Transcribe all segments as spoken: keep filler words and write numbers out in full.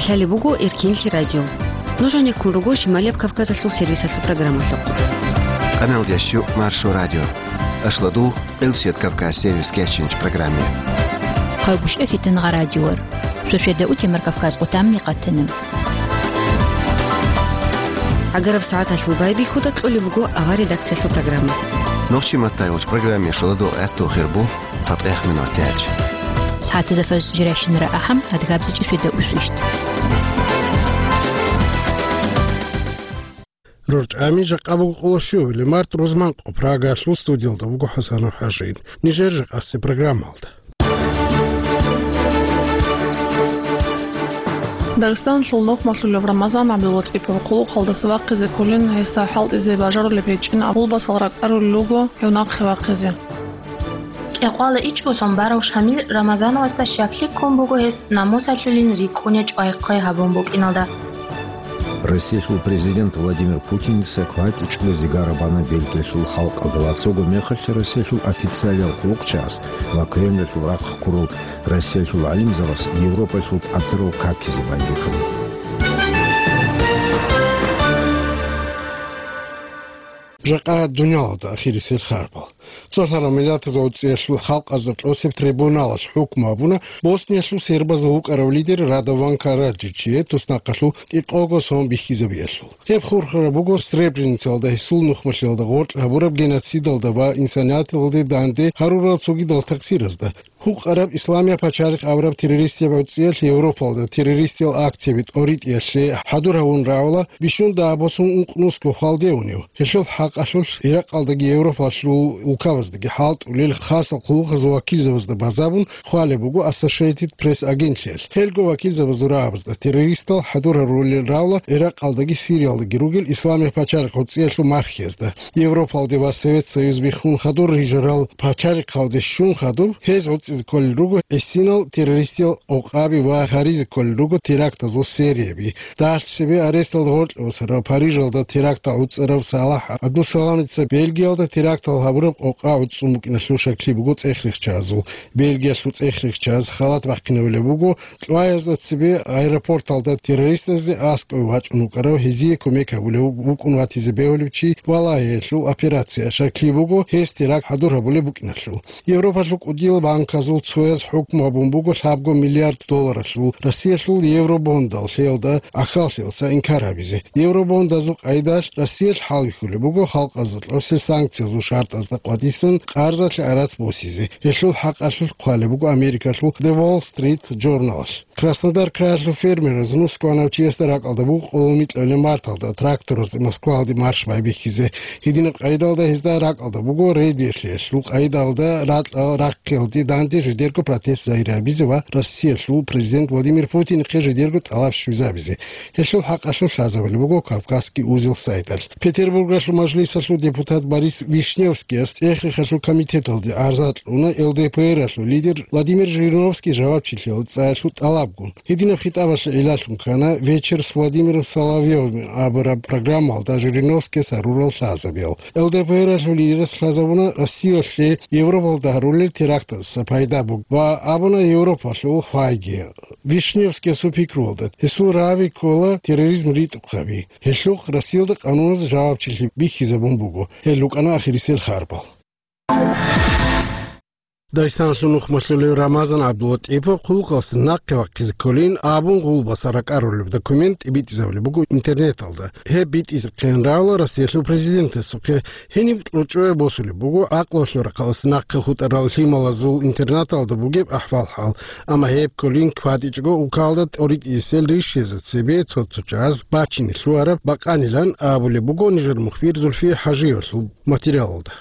Лъалеб буго Эркенлъи радио. Нуж гьанеккун руго Шималияб Кавказалъул сервисалъул программалъухъ. Къаналдящу Маршо радио. Ашладу Элсет Кавказ сервис кечинч программе. Хъалгушев Фитнагъа радиор. Шошеда утемар Кавказ къутамни къатана. Агараб сагӀаталъул байбихьуда кьолеб буго авар редакциялъул программа. Нохчи маттайолч программе шоладо гӀатту хирбу цатӀех минутач. СагӀатазда фаз жиращинара ахӀам адгабзичӀи шведа усвищт. РорчӀами жакъа буго къоло щуабилеб март, рузман къо Прагалъул студиялда буго ХӀасанов ХӀажин. Нижер жакъасеб программалда. Дагъистаналъул нухмалъулев Рамазан ГӀабдуллатӀипов хъулухъалдаса вахъизе кколин, гьесда хӀалтӀизе бажарулеб гьечӀин абулбасал ракӀарулел руго гьев нахъе вахъизе. Кьекъвала ичӀго сон барав Шамил Рамазановасда щаклъи ккун буго гьес намусалъулин рикӀкӀунеб чӀвай-хъвай гьабун букӀиналда. Россиялъул президент Владимир Путиница кватӀичӀго зигара бана Бельгиялъул халкъалда ва цого мехалъ Россиялъул официалиял хъулухъчияс ва Кремльалъул рахъ ккурал Россиялъул гӀалимзабаз Европаялъул тӀатарал какизе байбихьуна. Жакъа дуниялалда ахирисел харбал. Цо лъарал миллатазул цӀиялъул халкъазда тӀосеб трибуналалъ хӀукму гьабуна Босниялъул сербазул вукӀарав лидер Радован Караджичие туснахъалъув кӀикъого сон бихьизабиялъул. Гьеб хурхараб буго Сребреницалда гьесул нухмалъиялда гъоркь гьабураб геноцидалда ва инсанияталде данде гьарурал цогидал таксиразда. Гьукъараб Исламияб пачалихъ абураб террористияб гӀуцӀиялъ Европалда террористиял акцияби тӀоритӀиялъе хӀадур гьавун рагӀула бищун дагьаб босун ункънусго хвалде унев. Гьелъул хӀакъалъулъ Иракъалдаги Европалъул улкабаздаги хӀалтӀулел хасал хъулухъазул вакилзабазда базабун хъвалеб буго Associated Press агентлъиялъ. Гьелго вакилзабазул рагӀабазда террористал хӀадур гьарулел рагӀула Иракъалдаги Сириялдаги ругел Исламияб пачалихъ гӀуцӀиялъул мархиязда. Европалде ва Совет Союз биххун хадур рижарал пачалихъалде щун хадуб, гьез гӀуцӀизе кколел руго гӀисинал террористиял къокъаби ва гьаризе кколел руго терактазул серияби. Дагьалъ цебе аресталда гъоркье босарав, Парижалда терактал гӀуцӀарав Салахь ГӀабдусаламица Бельгиялда терактал гьабураб къокъа гӀуцӀун букӀиналъул щаклъи буго цӀехрихьчагӀазул. Бельгиялъул цӀехрихьчагӀаз халат бахъинабулеб буго, Кьваязда цебе аэропорталда террористазде аскӀове вачӀун вукӀарав, гьезие кумек гьабулев вукӀун ватизе бегьулев чи валагьиялъул операция. Щаклъи буго, гьес теракт хӀадур гьабулеб букӀиналъул. Европалъул кӀудиял банказул цояз хӀукму гьабун буго лъабго миллиард долларалъул Россиялъул евробондал лъеялда ахьаллъиялдаса инкар гьабизе. Евробондазул къайдалъ Россиялъ хӀалбихьулеб буго халкъазда кьосе санкциязул шартӀазда къватӀисан къарзалъе арац босизе. Гьелъул хӀакъалъулъ хъвалеб буго Америкалъул The Wall Street Journal-алъ. Краснодар краялъул фермераз нусгванав чиясда ракӀалда буго къоло микьабилеб марталда тракторазде Москваялде марш байбихьизе. Гьединаб къайдалда гьезда ракӀалда буго рейдерлъиялъул къайдалда ракьал рахъиялде данде жидерго протест загьир гьабизе ва Россиялъул президент Владимир Путинихъе жидерго тӀалаб щвезабизе. Гьелъул хӀакъалъулъ лъазабулеб буго Кавказский узел сайталъ. Петербургалъул мажлисалъул депутат Борис Вишневскияс цӀехрихьалъул комитеталде гӀарза кьуна Л Д П Р-алъул лидер Владимир Жириновский жавабчилъиялда цӀаялъул тӀалабгун. Гьединаб хитӀабалъе гӀиллалъун ккана «Вечер с Владимиром Соловьевым» абураб программалда Жириновскияс гьарурал лъазабиял. Л Д П Р-алъул лидерас лъазабуна Россиялъе Европалда гьарулел терактаздаса пайда буго ва абуна Европалъул хвайги. Вишневскиясул пикруялда, гьесул рави ккола терроризм ритӀухъаби. Гьелъухъ Россиялда къануналъ жавабчилъи бихьизабун буго. Гьел рукӀана ахирисел харбал. Дагъистаналъул нухмалъулев Рамазан ГӀабдуллатӀипов хъулухъалдаса нахъе вахъизе кколин абун гъулбаса ракӀарулеб документ тӀибитӀизабулеб буго интернеталда. Гьеб битӀизехъин рагӀула Россиялъул президентасухъе. Гьениб кьучӀое босулеб буго гӀакълуялъул рахъалдаса нахъе хутӀарал лъималазул интернаталда бугеб ахӀвал-хӀал. Амма гьеб кколин кватӀичӀого улкалда тӀоритӀисел ришиязда цебе цо-цо чагӀаз бачине лъугьараб бакъанилан абулеб буго нижер мухбир Зульфие ХӀажиевалъул материалалда.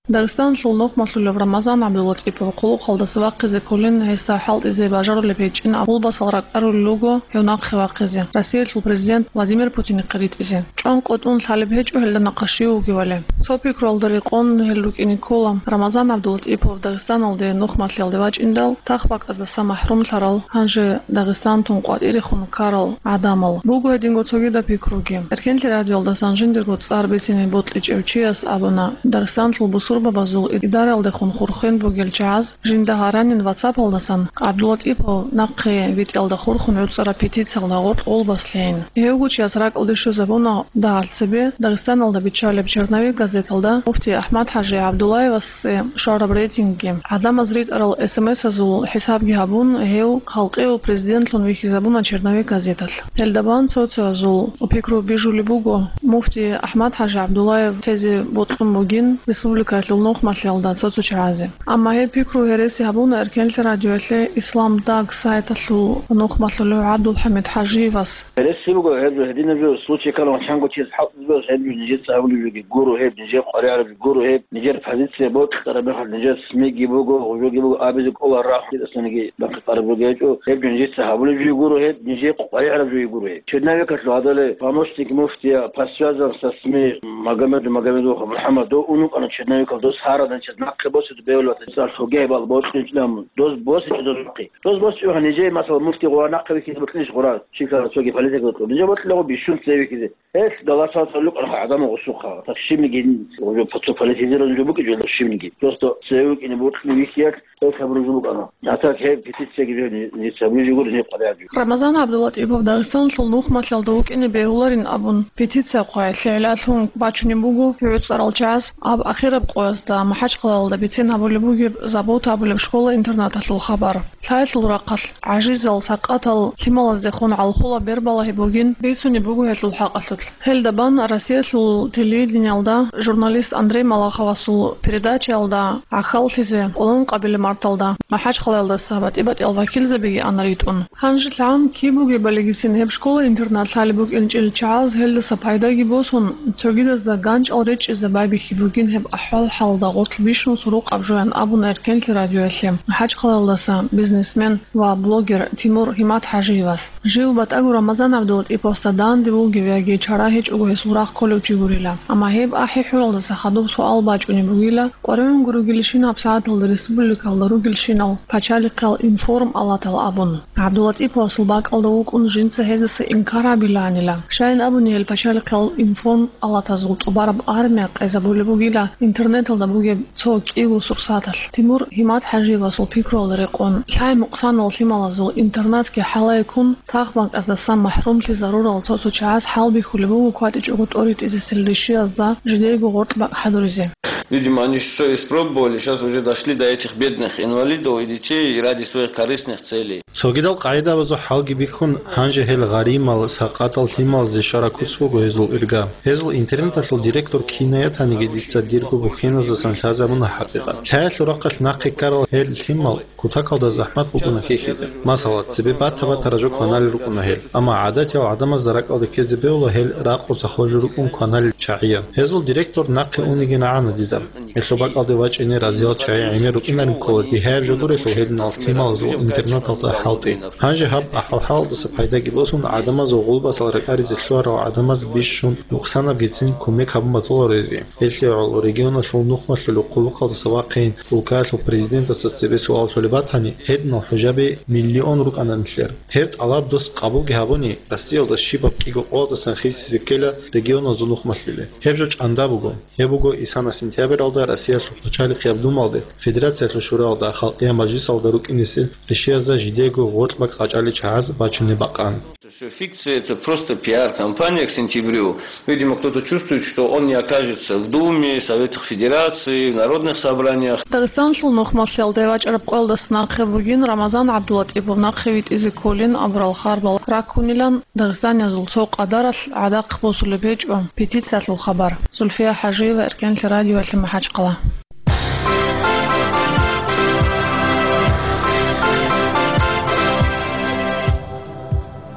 Дагъистаналъул нухмалъулев Рамазан ГӀабдуллатӀипов хъулухъалдаса вахъизе кколин, гьесда хӀалтӀизе бажарулеб гьечӀин абулбасал ракӀарулел руго гьев нахъе вахъизе, Россиялъул президент Владимир Путинихъе ритӀизе. ЧӀван къотӀун лъалеб гьечӀо гьелда нахъа щив вугевали. Цо пикруялда рекъон гьел рукӀине ккола. Рамазан ГӀабдулатӀипов Дагъистаналде нухмалъиялде вачӀиндал, тахбакӀаздаса махӀрумлъарал, гьанже Дагъистан тун къватӀирехун ккарал гӀадамал. Буго гьединго цогидаб пикруги. Эркенлъи радиоялдасан жиндирго цӀар бицине бокьичӀев чияс абуна, Дагъистаналъул бусурб- зурбабазул идаралдехун хурхен бугел чагӀаз жинда гьаранин WhatsApp-алдасан ГӀабдулатӀипов нахъе витӀиялда хурхун гӀуцӀараб петициялда гъоркь гъолбас лъейин. Гьевго чияс ракӀалде щвезабуна дагьалъ цебе Дагъистаналда биччалеб «Черновик» газеталда муфти АхӀмад-хӀажи ГӀабдуллаевасе щвараб рейтингги. ГӀадамаз ритӀарал эс эм эс-азул хӀисабги гьабун, гьев халкъияв президентлъун вихьизабуна «Черновик» газеталъ. Гьелда бан цо-цоязул пикру бижулеб буго, муфти АхӀмад-хӀажи ГӀабдуллаев тезе бокьун бугин республикаялъул нухмалъиялда цо-цо чагӀазе. Амма гьеб пикру гьереси гьабуна Эркенлъи радиоялъе «Ислам Даг» сайталъул нухмалъулев ГӀабдулхӀамид ХӀажиевас. Гьереси буго гьеб жо, гьединаб жо, случай ккани чанго чияс хӀалтӀизабиялъ гьеб жо нижеца гьабулеб жоги гуро гьеб, нижер къваригӀараб жоги гуро гьеб, нижер позиция бокьараб мехалъ нижер СМИ-ги буго, гьеб жоги буго абизе кӀоларо рахъун, гьединасаниги бахъи къараб жоги гьечӀо, гьеб жо нижеца гьабулеб жоги гуро гьеб, нижер къваригӀараб жоги гуро гьеб. Черновикалъул гьадале помощник муфтия по связям со СМИ Магомедов, Магомедов МухӀаммад, дов унукъана Черновикалда, дос гьарадан чияс нахъе босизе бегьулеб батани, цӀар лъугьа-, гьебал бокьичӀила мун. Дос босичӀо дос нахъе. Дос босичӀо, нижее, масала, муфти гъура нахъе вихьизе бокьилищ гъура? Чи ккани цоги политика бокьун. Нижер бокьиларо бищун цеве вихьизе. Гьелъ галатал цӀалукъанха гӀадамал гъусухъа. Так щибниги гьеб цо политизированный жо букӀинчӀо щибниги. Просто цеве вукӀине бокьине вихьиялъ гьеб хабар жо букӀана. А так гьеб петицияги жо ни-, нижеца гьабулеб жоги гуро, нижер къваригӀараб жоги. Рамазан ГӀабдулатӀипов Дагъистаналъул нухмалъиялда вукӀине бегьуларин абун, петиция хъвай лъегӀлалъун бачунеб буго гӀуцӀарал чагӀаз, гьаб ахираб къоязда МахӀачхъалаялда бицен гьабулеб бугеб Забота абулеб школа-интернаталъул хабар. Лъаялъул рахъалъ гӀажизал, сакъатал лъималаздехун гӀалхула бербалагьи бугин бицунеб буго гьелъул хӀакъалъулъ. Гьелда бан Россиялъул телевидениялда журналист Андрей Малаховасул передачаялда гӀахьаллъизе къоло ункъабилеб марталда МахӀачхъалаялдаса батӀи-батӀиял вакилзабиги ана ритӀун. Гьанже лъан киб бугебалигицин гьеб школа-интернат лъалеб букӀинчӀел чагӀаз гьелдаса пайдаги босун, цогидазда ганчӀал речӀчӀизе байбихьи бугин гьеб ахӀвал-хӀалда гъоркь бищун сурукъаб жоян абуна Эркенлъи радиоялъе МахӀачхъалаялдаса бизнесмен ва блогер Тимур ГьиматхӀажиевас. Жив батӀаго Рамазан ГӀабдулатӀиповасда данде вугев яги чара гьечӀого гьесул рахъ кколев чи гурила. Амма гьеб ахӀи-хӀуралдаса хадуб суал бачӀунеб бугила, къваригӀун ругелщинаб сагӀаталда республикалда ругелщинал пачалихъиял информ-алатал абун. ГӀабдулатӀиповасул бакӀалда вукӀун жинца гьездаса инкар гьабилаанила. Щайин абуни гьел пачалихъиял информ-алатазул тӀубараб армия къезабулеб бугила интернеталда бугеб цо кӀиго сурсаталъ. Тимур ГьиматхӀажиевасул пикруялда рекъон, лъай мукъсанал лъималазул интернатги хӀалай ккун, тахбанкӀаздасан махӀрумлъизарурал цо-цо чагӀаз хӀалбихьулеб буго кватӀичӀого тӀоритӀизесел ришиязда жидеего гъоркь бакӀ хӀадуризе. Видимо, они всё испробовали, щас уже дошли до этих бедных инвалидов и детей ради своих корыстных целей. Цогидал къагӀидабазул хӀалги бихьун, гьанже гьел гъаримал, сакъатал лъималазде щвараб куц буго гьезул ирга. Гьезул интернаталъул директор кинаятаниги дица дирго бухьеназдасан лъазабуна хӀакъикъат. Лъаялъул рахъалъ нахъе ккарал гьел лъимал кутакалда захӀмат букӀуна хьихьизе. Масала, цебе бата-батараб жо кваналел рукӀуна гьел, амма гӀадатиял гӀадамазда ракӀалде ккезе бегьула гьел ракъуца холел рукӀун кваналел чагӀияб. Гьезул директор нахъе унегин гӀана дида. Гьелъул бакӀалде вачӀине разиял чагӀи гӀемер рукӀинарин ккола, бигьаяб жо гурелъул гьединал лъималазул интернаталда хӀалтӀи. Гьанже гьаб ахӀвал-хӀалалдаса пайдаги босун, гӀадамазул гъулбасал ракӀаризе лъугьарал гӀадамаз бищун нукъсанабгицин кумек гьабун батуларо гьезие. Гьелъие гӀоло регионалъул нухмалъулеб хъулухъалдаса вахъин, улкаялъул президентасда цебе суал лъолеб батани, гьединал хӀужаби миллион рукӀана нилъер. Гьеб тӀалаб дос къабулги гьабуни, Россиялда щибаб кӀиго къоялдасан хисизе ккела регионазул нухмалъули. Гьеб жо чӀанда буго. Гьеб буго исана сентябралда Россиялъул пачалихъияб Думалде, Федерациялъул Шуралда, Халкъиял Мажлисалда рукӀинесел ришиязда жидеего гъоркь бакӀ къачӀалел чагӀаз бачунеб бакъан. Это всё фикция, это просто пиар-компания к сентябрю. Видимо, кто-то чувствует, что он не окажется в Думе, Советах Федерации, в народных собраниях. Дагъистаналъул нухмалъиялде вачӀараб къоялдаса нахъе бугин Рамазан ГӀабдулатӀипов нахъе витӀизе кколин абурал харбал раккунилан Дагъистаниязул цо къадаралъ гӀадахъ босулеб гьечӀо петициялъул хабар. Зульфия ХӀажиева, Эркенлъи радиоялъе, МахӀачхъала.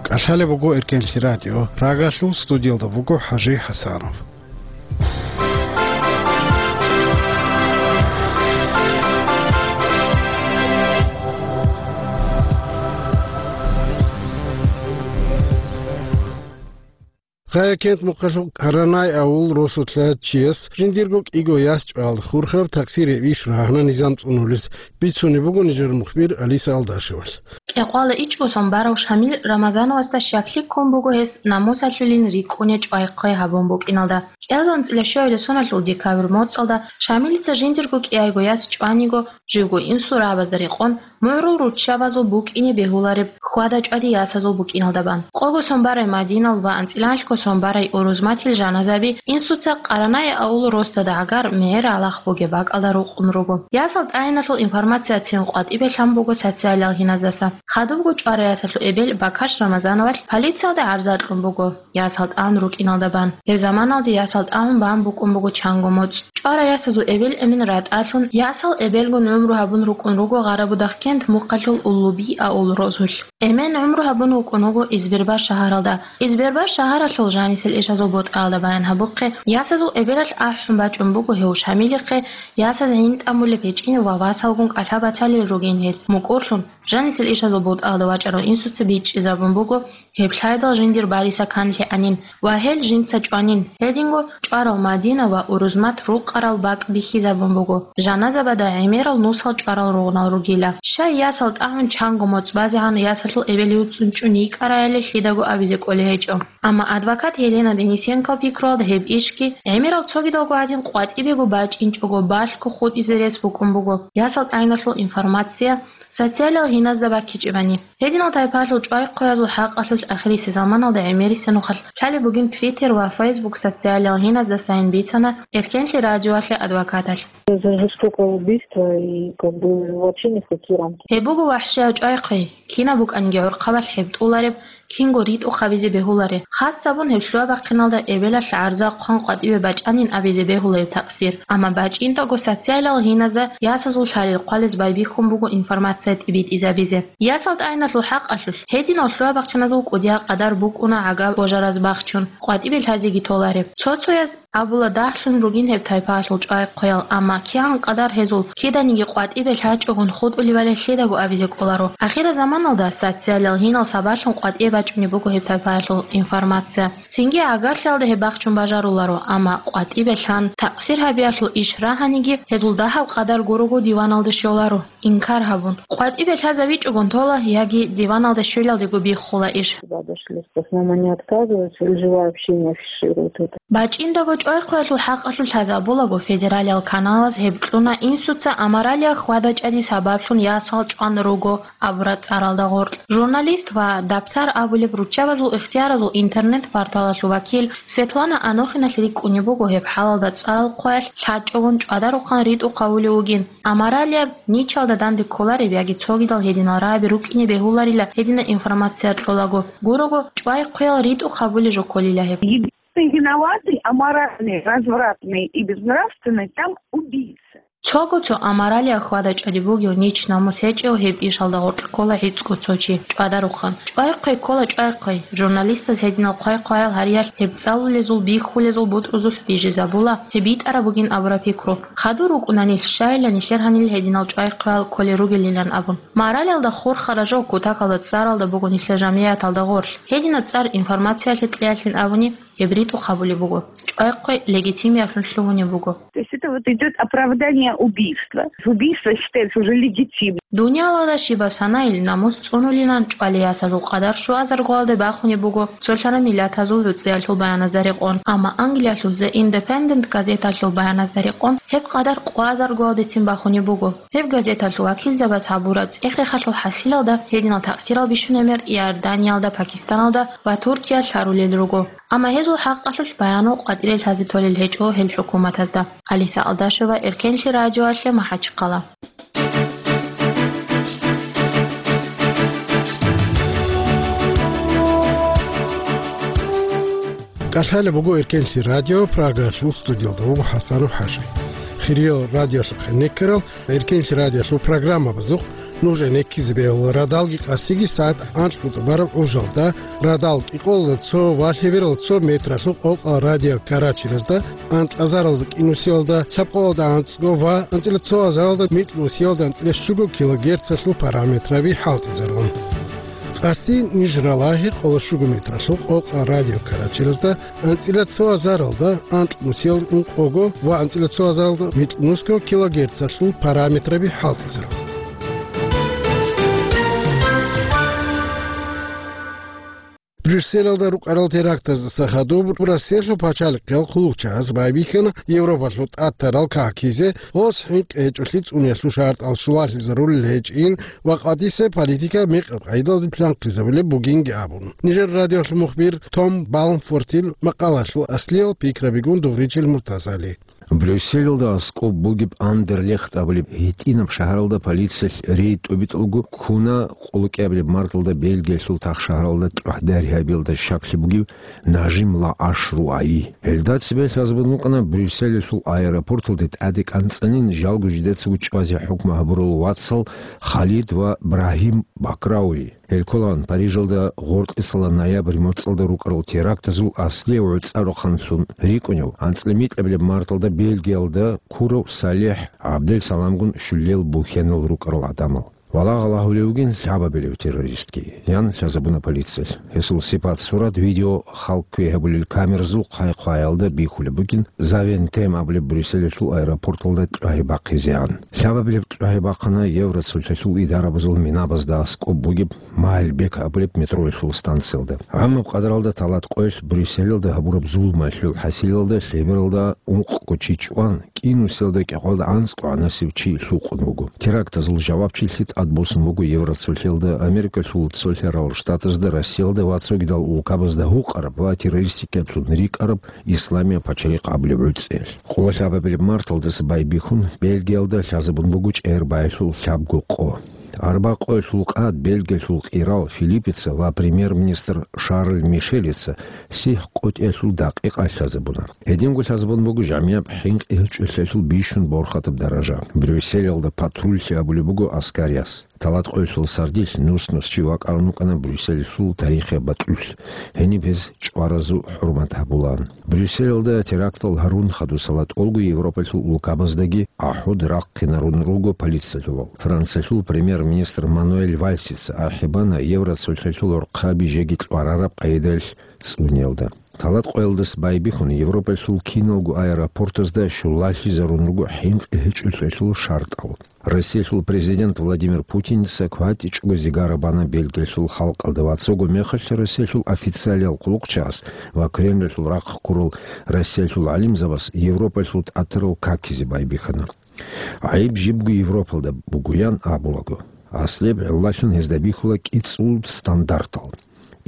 КӀалъалеб буго Эркенлъи радио. Прагалъул студиялда буго ХӀажи ХӀасанов. Гьая кент мухъалъул Каранай авул росулъа чияс жиндирго кӀиго яс чӀвал хурхараб таксир гьеб иш рагьана низам цӀунулес, бицунеб буго нижер мухбир Алиса Алдашевалъ. Кьекъвала ичӀго сон барав Шамил Рамазановасда щаклъи ккун буго гьес намусалъулин рикӀкӀуне чӀвай-хъвай гьабун букӀиналда. КӀиазанцӀила щуабилеб соналъул декабрь моцӀалда Шамилица жиндирго кӀиайго яс чӀваниго, живго инсул рагӀабазда рекъон, мугӀрул руччабазул букӀине бегьулареб хьвада-чӀвади ясазул букӀиналда бан. Къого сон барай Мадинал ва анцӀила анлъго сон барай Урузматил жаназаби инсуца Къаранай авул росдада гӀагар мегӀер гӀалахъ бугеб бакӀалда рукъун руго. Ясал тӀагӀиналъул информацияцин къватӀибе лъан буго социалиял гьиназдаса. Хадубго чӀварай ясалъул эбел Бакаш Рамазановалъ полициялда гӀарза кьун буго, ясал тӀагӀун рукӀиналда бан. Гьеб заманалде ясал тӀагӀун бан букӀун буго чанго моцӀ. ЧӀварай ясазул эбел-эмен ратӀалъун, ясал эбелгун гӀумру гьабун рукӀун руго Гъарабудахъкент мухъалъул Уллуби авул росулъ. Эмен гӀумру гьабун вукӀун вуго Избербаш шагьаралда. Избербаш шагьаралъул жанисел ишазул бутӀаялда баян гьабухъе, ясазул эбелалъ ахӀун бачӀун буго гьев Шамилихъе, ясаз гӀин тӀамулеб гьечӀин ва васалгун кӀалъа бацалел ругин гьел. МукӀурлъун, жанисел ишазул бутӀаялда вачӀарав инсуца бичӀчӀизабун буго, гьеб лъайдал жиндир бариса канлъи гьанин ва гьел жинца чӀванин. Гьединго чӀварал Мадина ва Урузмат рукъарал бакӀ бихьизабун буго, жаназабада гӀемерал нусал чӀварал ругънал ругила. Щай ясал тӀагӀун чанго моцӀ базегӀан ясалъул эбел юцӀцӀун чӀун йикӀараяле лъидаго абизе кӀолей гьечӀо. Амма адвокат Елена Денисенкол пикруялда гьеб ишги гӀемерал цогидалго гӀадин къватӀибего бачӀинчӀого балъго хутӀизе рес букӀун буго. Ясал тӀагӀиналъул информация социалиял гьиназда баккичӀебани. Гьединал тайпаялъул чӀвай-хъваязул хӀакъалъулъ ахирисеб заманалда гӀемерисеб нухалъ лъалеб бугин Twitter ва Facebook социалиял гьиназдасайин бицана Эркенлъи радиоялъе адвокаталъ. Это жестокое убийство и как бы вообще ни в какие рамки. Гьеб буго вахӀшияв чӀвай-хъвей, кинаб букӀаниги гӀурхъабалъ гьеб тӀулареб, кинго ритӀухъ гьабизе бегьуларе. Хасабун гьеб лъугьа-бахъиналда эбелалъ гӀарза хъван къватӀибе бачӀанин абизе бегьула гьеб такъсир. Амма бачӀинтӀаго социалиял гьиназда ясазул лъалел хъвалез байбихьун буго информация тӀибитӀизабизе. Ясал тӀагӀиналъул хӀакъалъулъ гьединал лъугьа-бахъиназул кӀудиял къадар букӀуна гӀагаб божараз бахчун, къватӀибе лъазеги толареб. Цо-цояз абула дагьлъун ругин гьеб тайпаялъул чӀвай-хъваял, амма кигӀан къадар гьезул киданиги къватӀибе лъачӀогун хутӀулебали лъидаго абизе кӀоларо. Ахирзаманалда социалиял гьинал сабаблъун къватӀибе бачӀунеб буго гьеб тайпаялъул информация. Цинги гӀагарлъиялда гьеб бахчун бажаруларо, амма къватӀибе лъан такъсир гьабиялъул иш рагьаниги гьезул дагьаб къадар гурого диваналде щоларо. Инкар гьабун, къватӀибе лъазавичӀогун тола яги диваналда щвелалдего биххула иш. Сюда дошли. В основном они отказываются или же вообще не афишируют это. БачӀиндаго чӀвай-хъваялъул хӀакъалъулъ лъазабулаго федералиял каналаз гьеб кьуна инсуца аморалияб хьвада-чӀвади сабаблъун ясал чӀван руго абураб цӀаралда гъоркь. Журналист ва Дабтар абулеб руччабазул ихтияразул интернет-порталалъул вакил Светлана Анохиналъ рикӀкӀунеб буго гьеб хӀалалда цӀарал хъваялъ лъачӀогун чӀвадарухъан ритӀухъ гьавулев вугин. Аморалияб, ничалда данде кколареб яги цогидал гьединал рагӀаби рукӀине бегьуларила гьединаб информация кьолаго. Гурого, чӀвай-хъвеял ритӀухъ гьабулеб жо кколила гьеб. Единственный виноватый, аморальный, развратный и безнравственный там убийца. Цого цо аморалияб хьвада-чӀвади бугев, нич намус гьечӀев гьеб ишалда гъоркь ккола гӀицӀго цо чи, чӀвадарухъан. ЧӀвай-хъвей ккола чӀвай-хъвей. Журналистаз гьединал хъвай-хъваял гьариялъ гьеб цӀалулезул, бихьулезул бутӀрузулъ бижизабула, гьеб битӀараб бугин абураб пикру. Хадур рукӀуна нилъ, щайилан нилъер гьанил гьединал чӀвай-хъвеял кколел ругелилан абун. Моралиялда хурхараб жо кутакалда цӀаралда буго нилъер жамигӀаталда гъорлъ. Гьединаб цӀар информациялъе кьеялъин абуни, гьеб ритӀухъ гьабулеб буго. ЧӀвай-хъвей легитимиявлъун лъугьунеб буго. То есть это вот идёт оправдание убийства. Убийство считается уже легитимным. Дуниялалда щибаб санайил намус цӀунулилан чӀвалей ясазул къадар щуазаргоялде бахунеб буго, цолъана миллатазул гӀуцӀиялъул баяназда рекъон. Амма Англиялъул The Independent газеталъул баяназда рекъон гьеб къадар къвазаргоялдецин бахунеб буго. Гьеб газеталъул вакилзабаз гьабураб цӀех-рехалъул хӀасилалда гьединал такъсирал бищун гӀемер Иорданиялда, Пакистаналда ва Туркиялъ лъарулел руго. Амма гьезул хӀакъалъулъ баянал къватӀире лъазе толел гьечӀо гьел хӀукуматазда. Алиса Алдашева, Эркенлъи радиоялъе, МахӀачхъала. КӀалъалеб буго Эркенлъи радио, Прагалъул студиялда вуго ХӀасанов ХӀажи. Хириял радиолъухъе неккарал Эркенлъи радиолъул программабазухъ нужее неккизе бегьула радалги къасиги сагӀат анкьго тӀубараб гӀужалда, радал кӀикъоялда цо ва лъебералда цо метралъул къокъал радио Карачиразда, анкьазаралда кӀинусиялда, лъабкъоялда анцӀго ва анцӀила цо азаралда микьнусиялда анцӀила щуго килогерцалъул параметраби хӀалтӀизарун. Къасин ниж ралагьи къоло щуго метралъул къокъа радиокаратеразда анцӀила цо азаралда анкь нусиялда ункъого ва анцӀила цо азаралда микьнусго килогерцалъул параметраби хӀалтӀизаро. Брюсселалда рукӀарал терактаздаса хадуб Россиялъул пачалихъиял хъулухъчагӀаз байбихьана Европалъул тӀад тарал какизе, гъос хӀинкъи гьечӀолъи цӀуниялъул шартӀал щулалъизарулел гьечӀин ва къватӀисе политика мекъаб къагӀидалде планхъизабулеб бугинги абун. Нижер радиолъул мухбир Том Балмфортил макъалалъул аслиял пикрабигун дугъричил Муртазали. Брюсселалда аскӀоб бугеб Андерлехт абулеб гьитӀинаб шагьаралда полициялъ рейд тӀубитӀулго ккуна къоло кӀиабилеб марталда Бельгиялъул тахшагьаралда тӀухьдаригьабиялда щаклъи бугев Нажим Лааш Руаи. Гьелда цебе лъазабун букӀана Брюсселалъул аэропорталде тӀаде кӀанцӀанин жалго жидецаго чӀвазе хӀукму гьабурал вацал Халид ва Брагьим Бакрауи. Гьел кколаан Парижалда гъоркьисала ноябрь моцӀалда рукӀарал терактазул аслияв гӀуцӀарухъанлъун рикӀкӀунев, анцӀила микьабилеб марталда Бельгиялда ккурав СалихӀ ГӀабдел-Саламгун щулел бухьенал рукӀарал гӀадамал. Валагьал агьулев вугин лъабабилев террористги, ян лъазабуна полициялъ. Гьесул сипат-сурат видео халкъ квей гьабулел камеразул хъай-хъваялда бихьулеб бугин, Завентем абулеб Брюсселалъул аэропорталда тӀагьи бахъизегӀан. Лъабабилеб тӀагьи бахъана Евроцолъалъул идарабазул минабазда аскӀоб бугеб Маальбек абулеб метроялъул станциялда. ГӀамаб къадаралда талат къоялъ Брюсселалда гьабураб зулмалъул хӀасилалда лъебералда ункъго чи чӀван, кӀинусиялда кӀикъоялда анцӀго гӀанасев чи лъукъун вуго. Терактазул жавабчилъи тӀадбуссун буго Евроцолъалда, Америкалъул Цолъарал Штатазда, Россиялда ва цогидал улкабазда гьукъараб ва террористикаблъун рикӀкӀараб Исламияб пачалихъ абулеб гӀуцӀиялъ. Къоло лъабабилеб марталдаса байбихьун, Бельгиялда лъазабун буго чӀегӀер баялъул лъабго къо. Арба къоялъул къад Бельгиялъул къирал Филиппица ва премьер-министр Шарль Мишелица сихӀ къотӀиялъул дакъикъа лъазабуна. Гьединго лъазабун буго жамияб хӀинкъи гьечӀолъиялъул бищун борхатаб даража. Брюсселалда патрульлъи абулеб буго аскариялъ. Талат къоялъул сардилъ нус-нус чи вакӀарун вукӀана Брюсселалъул тарихияб бакьулъ. Гьениб гьез чӀваразул хӀурмат гьабулаан. Брюсселалда терактал гьарун хадусала тӀолго Европалъул улкабаздаги ахӀуд рахъинарун руго полициялъулал. Франциялъул премьер-министр Мануэль Вальсица ахӀи бана Евроцолъалъул гӀорхъаби жеги кьварараб къайдаялъ цӀуниялда. Талат къоялдаса байбихьун, Европалъул киналго аэропортазда щулалъизарун руго хӀинкъи гьечӀолъиялъул шартӀал. Россиялъул президент Владимир Путинца кватӀичӀого зигара бана Бельгиялъул халкъалда ва цого мехалъ Россиялъул официалиял хъулухъчагӀаз ва Кремлалъул рахъ ккурал Россиялъул гӀалимзабаз Европалъул тӀатарал какизе байбихьана. ГӀайиб жибго Европалда бугоян абулаго, аслияб гӀиллалъун гьезда бихьула кӀицӀул стандартал.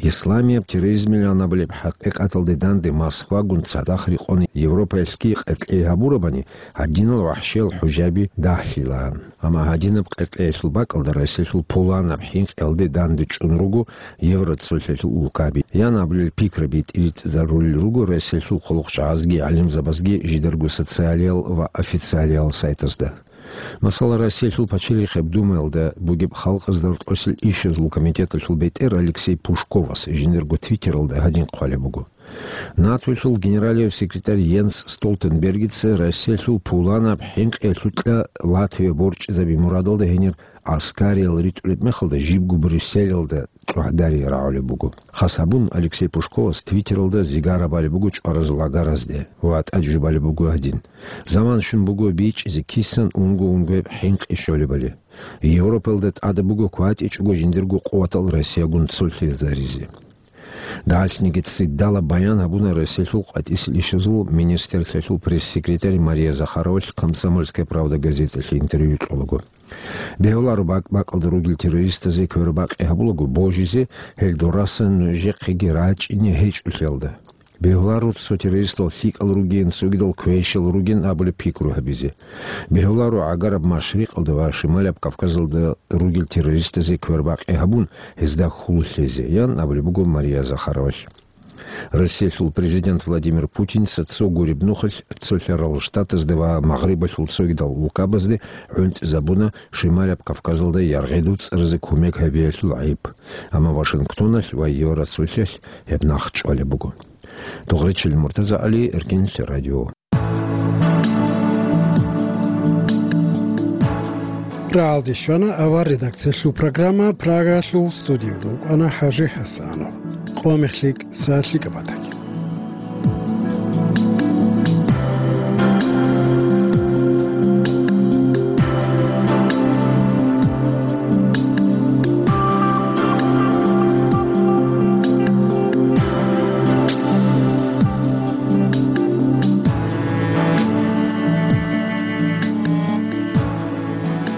Исламияб терроризмилан абулеб хӀакъикъаталде данде Москвагун цадахъ рекъон Европаялъги къеркьей гьабурабани, гьадинал вахӀшиял хӀужаби дагьлъилаан. Амма гьадинаб къеркьеялъул бакӀалда Россиялъул пуланаб хӀинкъиялде данде чӀун руго Евроцолъалъул улкаби. Ян абулел пикраби тӀиритӀизарулел руго Россиялъул хъулухъчагӀазги гӀалимзабазги жидарго социалиял ва официалиял сайтазда. Масала, Россиялъул пачалихъияб Думаялда бугеб халкъазда рокьосел ишазул комитеталъул бетӀер Алексей Пушковас жиндирго Твиттералда гьадин хъвалеб буго: НАТОялъул генералияв секретарь Йенс Столтенбергица Россиялъул пуланаб хӀинкъиялъукьа Латвия борчӀизаби мурадалда гьенир аскариял ритӀулеб мехалда жибго Брюсселалда тӀухьдарие рагӀулеб буго. Хас гьабун, Алексей Пушковас Твиттералда зигара балеб буго чӀваразул агаразде ва тӀад жубалеб буго гьадин: «Заман щун буго бичӀчӀизе кисан унго-унгояб хӀинкъи щолебали. Европалда тӀада буго кватӀичӀого жиндирго къуватал Россиягун цолъизаризе». Дагьалъниги цӀидала баян гьабуна Россиялъул къватӀисел ишазул министрлъиялъул пресс-секретарь Мария Захаровалъ «Комсомольская правда» газеталъе интервью кьолаго. Бегьуларо бакӀ-бакӀалда ругел террористазе квербакъи гьабулаго божизе, гьел дорасан нужехъеги рачӀине гьечӀолъиялда. Бегьуларо цо террористал лъикӀал ругин, цогидал квешал ругин абулеб пикру гьабизе. Бегьуларо гӀагараб Машрикъалда ва Шималаб Кавказалда ругел террористазе квербакъи гьабун, гьезда хьул лъезе, ян абулеб буго Мария Захаровалъ. Россиялъул президент Владимир Путинца цо гуреб нухалъ Цолъарал Штатазда ва Магърибалъул цогидал улкабазде гӀунтӀизабуна Шималаб Кавказалда яргъи дуцӀаразе кумек гьабиялъул гӀайиб. Амма Вашингтоналъ ва Евроцолъалъ гьеб нахъ чӀвалеб буго. Дугъричил МуртазагӀали, Эркинлъи радио. Прагьалде щвана авар редакциялъул программа, Прагаялъул студиялда вукӀана ХӀажи ХӀасанов. Къо мехлъи кӀиса лъикӀаб батани.